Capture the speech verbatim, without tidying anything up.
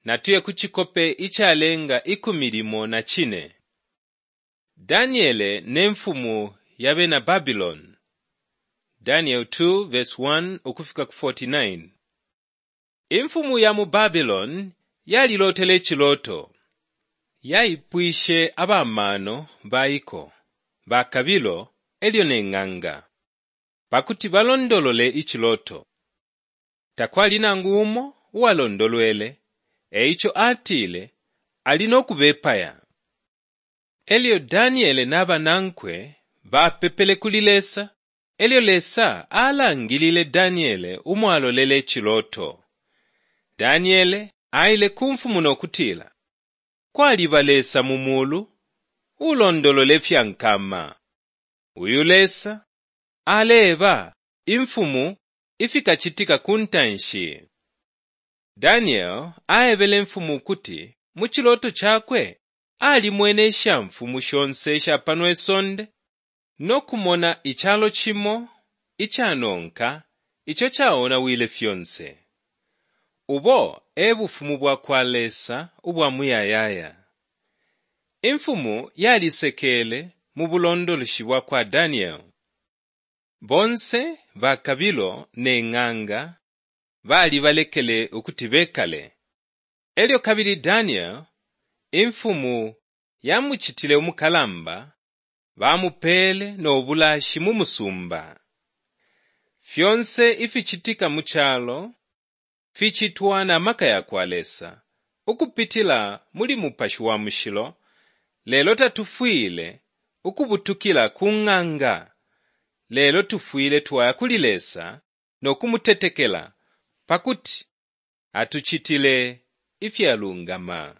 Natuye ku cikope icalenga ikumi limo na cine. Daniele ne mfumu ya bena Babiloni. Daniel two verse one ukufika ku forty-nine. Imfumu ya mu Babiloni yalilotele iciloto. Yaipwishe abamano baiko, bakabilo elyo ne ng'anga, pakuti balondolole iciloto. Takwali nangu umo uwalondolwele, eico atile ali no kubepaya. Elyo Daniele na banankwe bapepele kuli Lesa, elyo Lesa alangilile Daniele umwalolele iciloto. Daniele aile ku mfumu no kutila, kwaliba Lesa mu mulu ulondolola ifya nkama. Uyu Lesa aleeba imfumu ifikacitika ku ntanshi. Daniel aebele imfumu ukuti mu ciloto cakwe alimwene ishamfumu shonse isha pano isonde no kumona icalo cimo icanonka ico caonawile fyonse. Ubo e bufumu bwa kwa Lesa ubwa muyayaya. Imfumu yalisekele mu bulondoloshi bwa kwa Daniel. Bonse bakabilo ne ng'anga balibalekele ukuti bekale. Elyo kabili Daniel, imfumu yamucitile umukalamba, bamupele no bulashi mu musumba. Fyonse ificitika mu calo ficitwa na maka ya kwa Lesa ukupitila muli Mupashi wa Mushilo, lelo tatufwile ukubutukila ku ng'anga, lelo tufwile twaya kuli Lesa no kumutetekela pakuti atucitile ifyalungama.